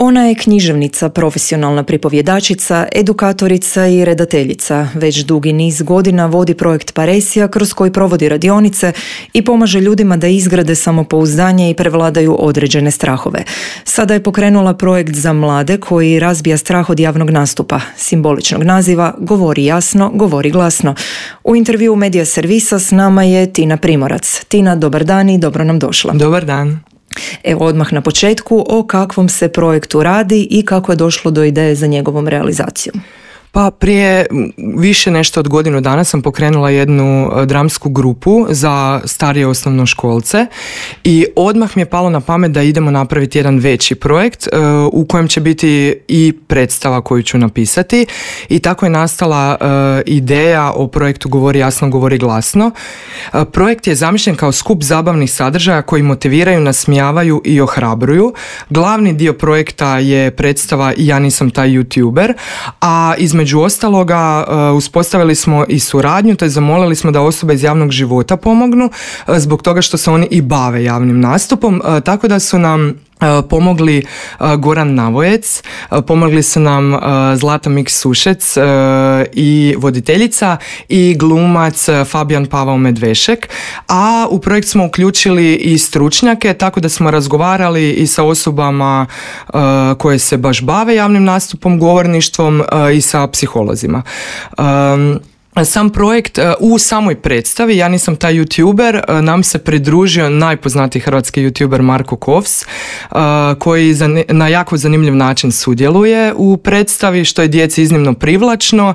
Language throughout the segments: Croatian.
Ona je književnica, profesionalna pripovjedačica, edukatorica i redateljica. Već dugi niz godina vodi projekt Paresija kroz koji provodi radionice i pomaže ljudima da izgrade samopouzdanje i prevladaju određene strahove. Sada je pokrenula projekt za mlade koji razbija strah od javnog nastupa, simboličnog naziva Govori jasno, govori glasno. U intervjuu Medija Servisa s nama je Tina Primorac. Tina, dobar dan i dobro nam došla. Dobar dan. Evo odmah na početku o kakvom se projektu radi i kako je došlo do ideje za njegovom realizacijom. Pa prije više nešto od godinu dana sam pokrenula jednu dramsku grupu za starije osnovnoškolce i odmah mi je palo na pamet da idemo napraviti jedan veći projekt u kojem će biti i predstava koju ću napisati i tako je nastala ideja o projektu Govori jasno, govori glasno. Projekt je zamišljen kao skup zabavnih sadržaja koji motiviraju, nasmijavaju i ohrabruju. Glavni dio projekta je predstava Ja nisam taj YouTuber, a između ostaloga uspostavili smo i suradnju, te zamolili smo da osobe iz javnog života pomognu zbog toga što se oni i bave javnim nastupom, tako da su nam pomogli Goran Navojec, pomogli su nam Zlata Mik-Sušec i voditeljica i glumac Fabijan Pavao Medvešek, a u projekt smo uključili i stručnjake, tako da smo razgovarali i sa osobama koje se baš bave javnim nastupom, govorništvom i sa psiholozima. Sam projekt u samoj predstavi Ja nisam taj YouTuber nam se pridružio najpoznatiji hrvatski YouTuber Marko Kovs, koji na jako zanimljiv način sudjeluje u predstavi, što je djeci iznimno privlačno,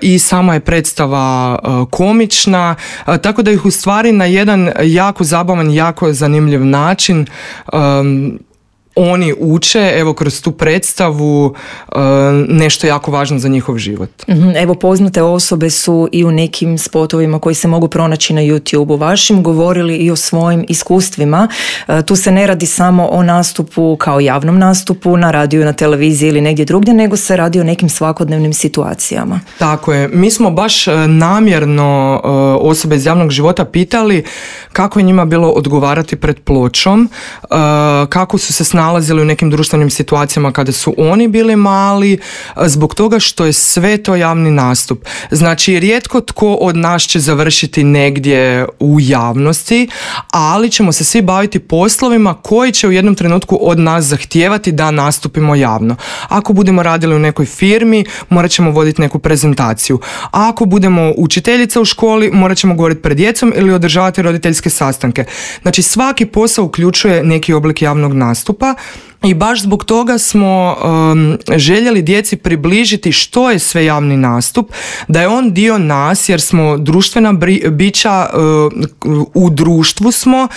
i sama je predstava komična, tako da ih u stvari na jedan jako zabavan, jako zanimljiv način oni uče, evo, kroz tu predstavu nešto jako važno za njihov život. Evo, poznate osobe su i u nekim spotovima koji se mogu pronaći na YouTube-u vašim govorili i o svojim iskustvima. Tu se ne radi samo o nastupu kao javnom nastupu na radiju, na televiziji ili negdje drugdje, nego se radi o nekim svakodnevnim situacijama. Tako je. Mi smo baš namjerno osobe iz javnog života pitali kako je njima bilo odgovarati pred pločom, kako su se nalazili u nekim društvenim situacijama kada su oni bili mali, zbog toga što je sve to javni nastup. Znači, rijetko tko od nas će završiti negdje u javnosti, ali ćemo se svi baviti poslovima koji će u jednom trenutku od nas zahtijevati da nastupimo javno. Ako budemo radili u nekoj firmi, morat ćemo voditi neku prezentaciju. A ako budemo učiteljica u školi, morat ćemo govoriti pred djecom ili održavati roditeljske sastanke. Znači, svaki posao uključuje neki oblik javnog nastupa. I baš zbog toga smo željeli djeci približiti što je sve javni nastup, da je on dio nas jer smo društvena bića, u društvu smo,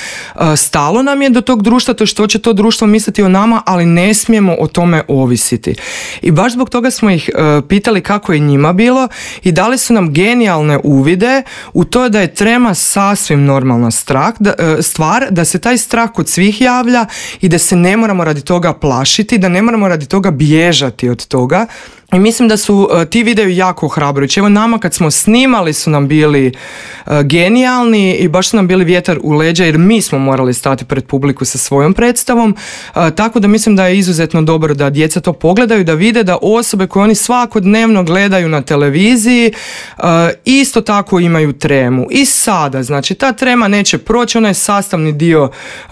stalo nam je do tog društva, to što će to društvo misliti o nama, ali ne smijemo o tome ovisiti. I baš zbog toga smo ih pitali kako je njima bilo i dali su nam genijalne uvide u to da je trema sasvim normalna stvar, da se taj strah kod svih javlja i da se ne moramo radi toga plašiti, da ne moramo radi toga bježati od toga. I mislim da su ti videi jako ohrabrujući. Evo, nama kad smo snimali su nam bili genijalni i baš su nam bili vjetar u leđa jer mi smo morali stati pred publiku sa svojom predstavom, tako da mislim da je izuzetno dobro da djeca to pogledaju, da vide da osobe koje oni svakodnevno gledaju na televiziji isto tako imaju tremu. I sada, znači, ta trema neće proći, ona je sastavni dio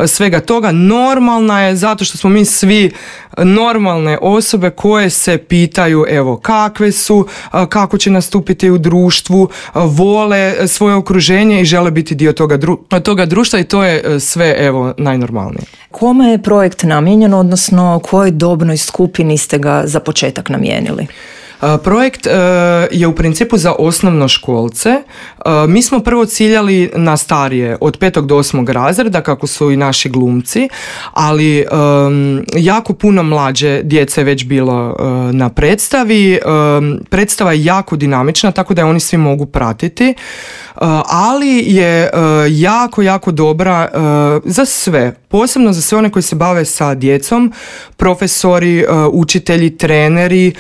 svega toga, normalna je zato što smo mi svi normalne osobe koje se pitaju, evo, kakve su, kako će nastupiti u društvu, vole svoje okruženje i žele biti dio toga društva i to je sve, evo, najnormalnije. Kome je projekt namijenjen, odnosno kojoj dobnoj skupini ste ga za početak namijenili? Projekt je u principu za osnovnoškolce. Mi smo prvo ciljali na starije, od 5. do 8. razreda, kako su i naši glumci, ali jako puno mlađe djece je već bilo na predstavi. Predstava je jako dinamična, tako da je oni svi mogu pratiti. ali je jako, jako dobra za sve, posebno za sve one koji se bave sa djecom, profesori, učitelji, treneri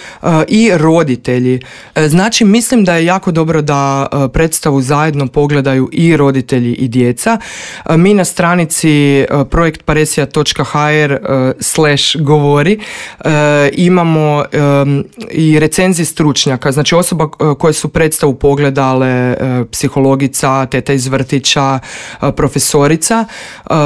i roditelji. Znači, mislim da je jako dobro da predstavu zajedno pogledaju i roditelji i djeca. Mi na stranici projektparesija.hr/govori imamo i recenzije stručnjaka, znači osoba koje su predstavu pogledale, psihologica, teta iz vrtića, profesorica,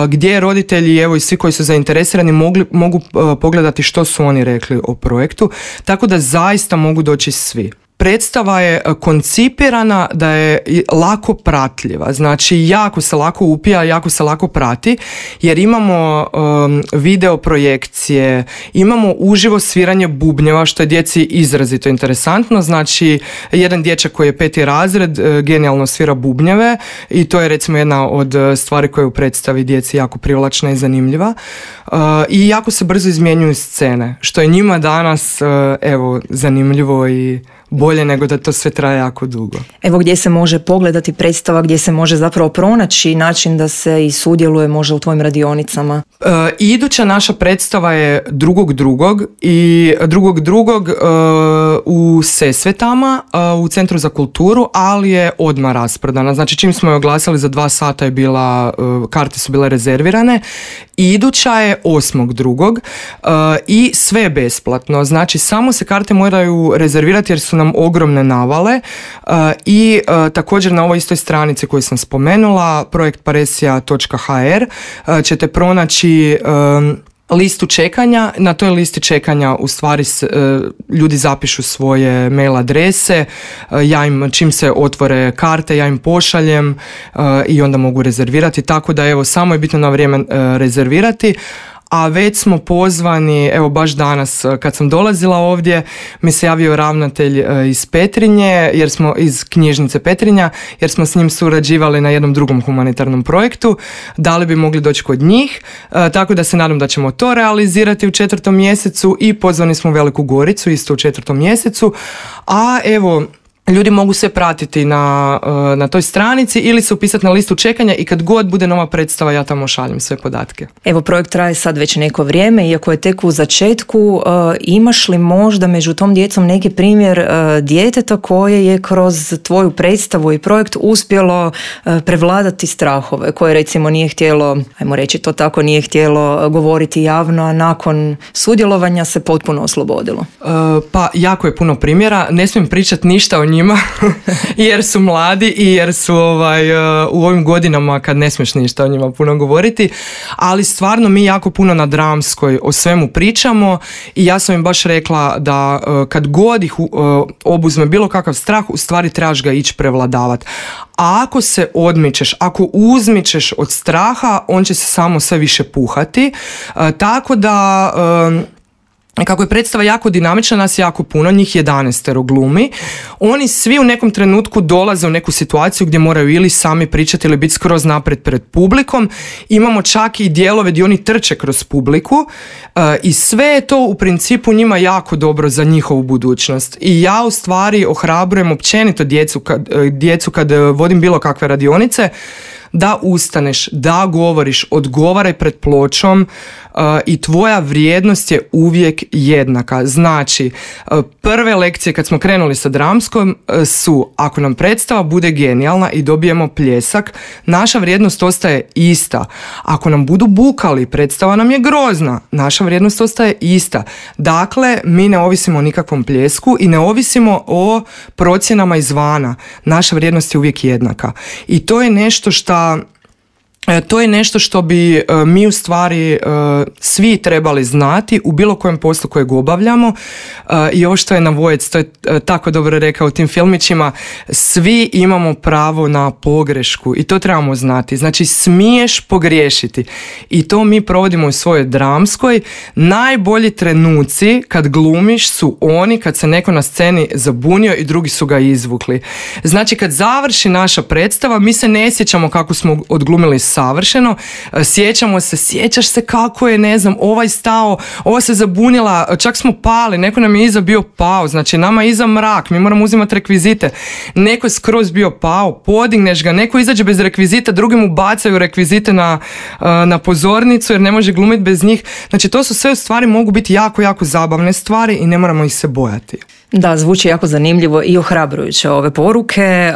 gdje roditelji, evo i svi koji su zainteresirani mogu pogledati što su oni rekli o projektu, tako da zaista mogu doći svi. Predstava je koncipirana da je lako pratljiva, znači jako se lako upija, jako se lako prati, jer imamo video projekcije, imamo uživo sviranje bubnjeva, što je djeci izrazito interesantno. Znači, jedan dječak koji je 5. razred genijalno svira bubnjeve i to je recimo jedna od stvari koje u predstavi djeci jako privlačna i zanimljiva. I jako se brzo izmjenjuju scene, što je njima danas evo zanimljivo i bolje nego da to sve traje jako dugo. Evo gdje se može pogledati predstava, gdje se može zapravo pronaći način da se i sudjeluje možda u tvojim radionicama? Iduća naša predstava je 2.2. i 2.2. U Sesvetama, u Centru za kulturu, ali je odmah rasprodana. Znači čim smo je oglasili za 2 sata je bila, karte su bile rezervirane. Iduća je 8.2. I sve je besplatno. Znači samo se karte moraju rezervirati jer su nam ogromne navale i također na ovoj istoj stranici koju sam spomenula, projektparesija.hr, ćete pronaći listu čekanja. Na toj listi čekanja u stvari ljudi zapišu svoje mail adrese, ja im čim se otvore karte ja im pošaljem i onda mogu rezervirati, tako da evo samo je bitno na vrijeme rezervirati. A već smo pozvani, evo baš danas kad sam dolazila ovdje mi se javio ravnatelj iz Petrinje, jer smo iz knjižnice Petrinja, jer smo s njim surađivali na jednom drugom humanitarnom projektu, da li bi mogli doći kod njih, tako da se nadam da ćemo to realizirati u 4. mjesecu i pozvani smo u Veliku Goricu isto u 4. mjesecu, a evo ljudi mogu sve pratiti na toj stranici ili se upisati na listu čekanja i kad god bude nova predstava ja tamo šaljem sve podatke. Evo projekt traje sad već neko vrijeme, iako je tek u začetku, imaš li možda među tom djecom neki primjer djeteta koje je kroz tvoju predstavu i projekt uspjelo prevladati strahove, koje recimo nije htjelo, ajmo reći to tako, nije htjelo govoriti javno, a nakon sudjelovanja se potpuno oslobodilo? Pa jako je puno primjera, ne smijem pričati ništa o njima jer su mladi i jer su u ovim godinama kad ne smiješ ništa o njima puno govoriti, ali stvarno mi jako puno na dramskoj o svemu pričamo i ja sam im baš rekla da kad god ih obuzme bilo kakav strah, u stvari trebaš ga ići prevladavati. A ako se odmičeš, ako uzmičeš od straha, on će se samo sve više puhati, tako da kako je predstava jako dinamična, nas jako puno, njih 11 glumi, oni svi u nekom trenutku dolaze u neku situaciju gdje moraju ili sami pričati ili biti skroz naprijed pred publikom. Imamo čak i dijelove gdje oni trče kroz publiku i sve je to u principu njima jako dobro za njihovu budućnost. I ja u stvari ohrabrujem općenito djecu kad vodim bilo kakve radionice, da ustaneš, da govoriš, odgovaraj pred pločom i tvoja vrijednost je uvijek jednaka. Znači, prve lekcije kad smo krenuli sa dramskom su, ako nam predstava bude genijalna i dobijemo pljesak, naša vrijednost ostaje ista. Ako nam budu bukali, predstava nam je grozna, naša vrijednost ostaje ista. Dakle, mi ne ovisimo o nikakvom pljesku i ne ovisimo o procjenama izvana. Naša vrijednost je uvijek jednaka. I to je nešto što bi mi u stvari svi trebali znati u bilo kojem poslu kojeg obavljamo. I ovo što je Navojec, to je tako dobro rekao u tim filmićima, svi imamo pravo na pogrešku i to trebamo znati. Znači smiješ pogriješiti i to mi provodimo u svojoj dramskoj. Najbolji trenuci kad glumiš su oni kad se neko na sceni zabunio i drugi su ga izvukli. Znači kad završi naša predstava mi se ne sjećamo kako smo odglumili savršeno. Sjećaš se kako je, ne znam, ovaj stao, ova se zabunila, čak smo pali, neko nam je iza bio pao, znači nama je iza mrak, mi moramo uzimati rekvizite, neko je skroz bio pao, podigneš ga, neko izađe bez rekvizita, drugi mu bacaju rekvizite na pozornicu jer ne može glumiti bez njih. Znači to su sve stvari, mogu biti jako, jako zabavne stvari i ne moramo ih se bojati. Da, zvuči jako zanimljivo i ohrabrujuće ove poruke.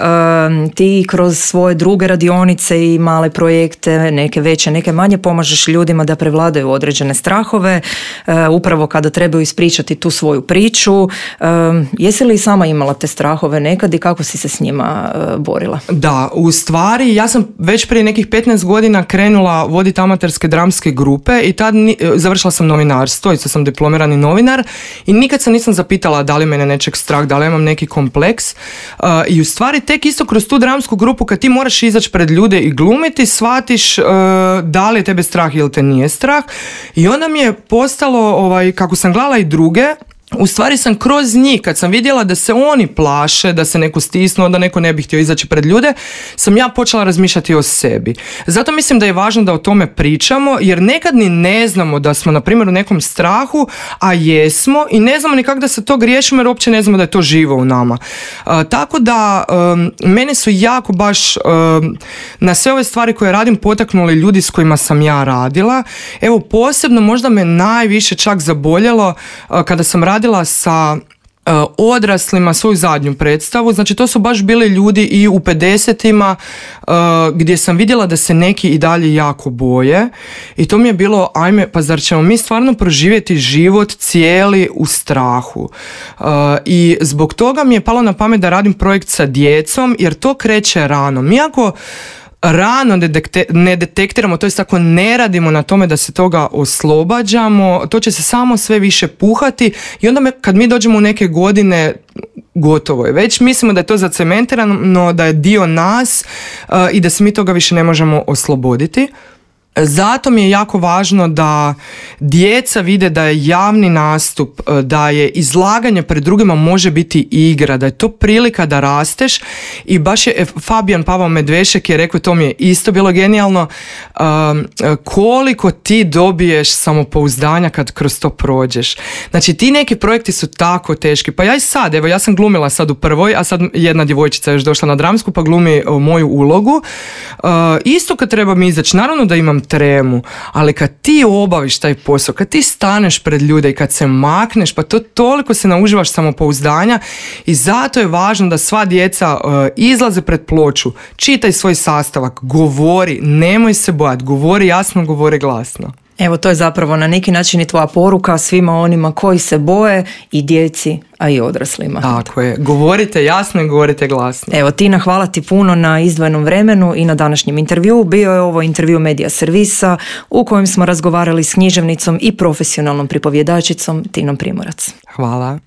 Ti kroz svoje druge radionice i male projekte, neke veće, neke manje, pomažeš ljudima da prevladaju određene strahove, upravo kada trebaju ispričati tu svoju priču. Jesi li sama imala te strahove nekad i kako si se s njima borila? Da, u stvari ja sam već prije nekih 15 godina krenula voditi amaterske dramske grupe i tad završila sam novinarstvo, isto sam diplomirani novinar i nikad se nisam zapitala da li mene nečeg strah, da li imam neki kompleks i u stvari tek isto kroz tu dramsku grupu kad ti moraš izaći pred ljude i glumiti, shvatiš da li je tebe strah ili te nije strah i onda mi je postalo, kako sam gledala i druge, u stvari sam kroz njih, kad sam vidjela da se oni plaše, da se neko stisnuo, da neko ne bi htio izaći pred ljude, sam ja počela razmišljati o sebi. Zato mislim da je važno da o tome pričamo, jer nekad ni ne znamo da smo, na primjer, u nekom strahu, a jesmo, i ne znamo ni kako da se to riješimo, jer uopće ne znamo da je to živo u nama. Tako da, mene su jako baš na sve ove stvari koje radim potaknuli ljudi s kojima sam ja radila. Evo, posebno možda me najviše čak zaboljelo kada sam radila sa odraslima svoju zadnju predstavu, znači to su baš bili ljudi i u 50-ima gdje sam vidjela da se neki i dalje jako boje i to mi je bilo, ajme, pa zar ćemo mi stvarno proživjeti život cijeli u strahu, i zbog toga mi je palo na pamet da radim projekt sa djecom jer to kreće rano. Mi ako rano ne detektiramo, to jest ako ne radimo na tome da se toga oslobađamo, to će se samo sve više puhati i onda kad mi dođemo u neke godine, gotovo je. Već mislimo da je to zacementirano, da je dio nas i da se mi toga više ne možemo osloboditi. Zato mi je jako važno da djeca vide da je javni nastup, da je izlaganje pred drugima može biti igra, da je to prilika da rasteš i baš je Fabijan Pavao Medvešek je rekao, to mi je isto bilo genijalno, koliko ti dobiješ samopouzdanja kad kroz to prođeš. Znači ti neki projekti su tako teški, pa ja i sad, evo ja sam glumila sad u prvoj, a sad jedna djevojčica je još došla na dramsku pa glumi moju ulogu, isto kad treba mi izaći, naravno da imam tremu, ali kad ti obaviš taj posao, kad ti staneš pred ljude i kad se makneš, pa to toliko se nauživaš samopouzdanja i zato je važno da sva djeca izlaze pred ploču, čitaj svoj sastavak, govori, nemoj se bojati, govori jasno, govori glasno. Evo, to je zapravo na neki način i tvoja poruka svima onima koji se boje, i djeci, a i odraslima. Tako je, govorite jasno i govorite glasno. Evo, Tina, hvala ti puno na izdvojenom vremenu i na današnjem intervjuu. Bio je ovo intervju Medija Servisa u kojem smo razgovarali s književnicom i profesionalnom pripovjedačicom Tinom Primorac. Hvala.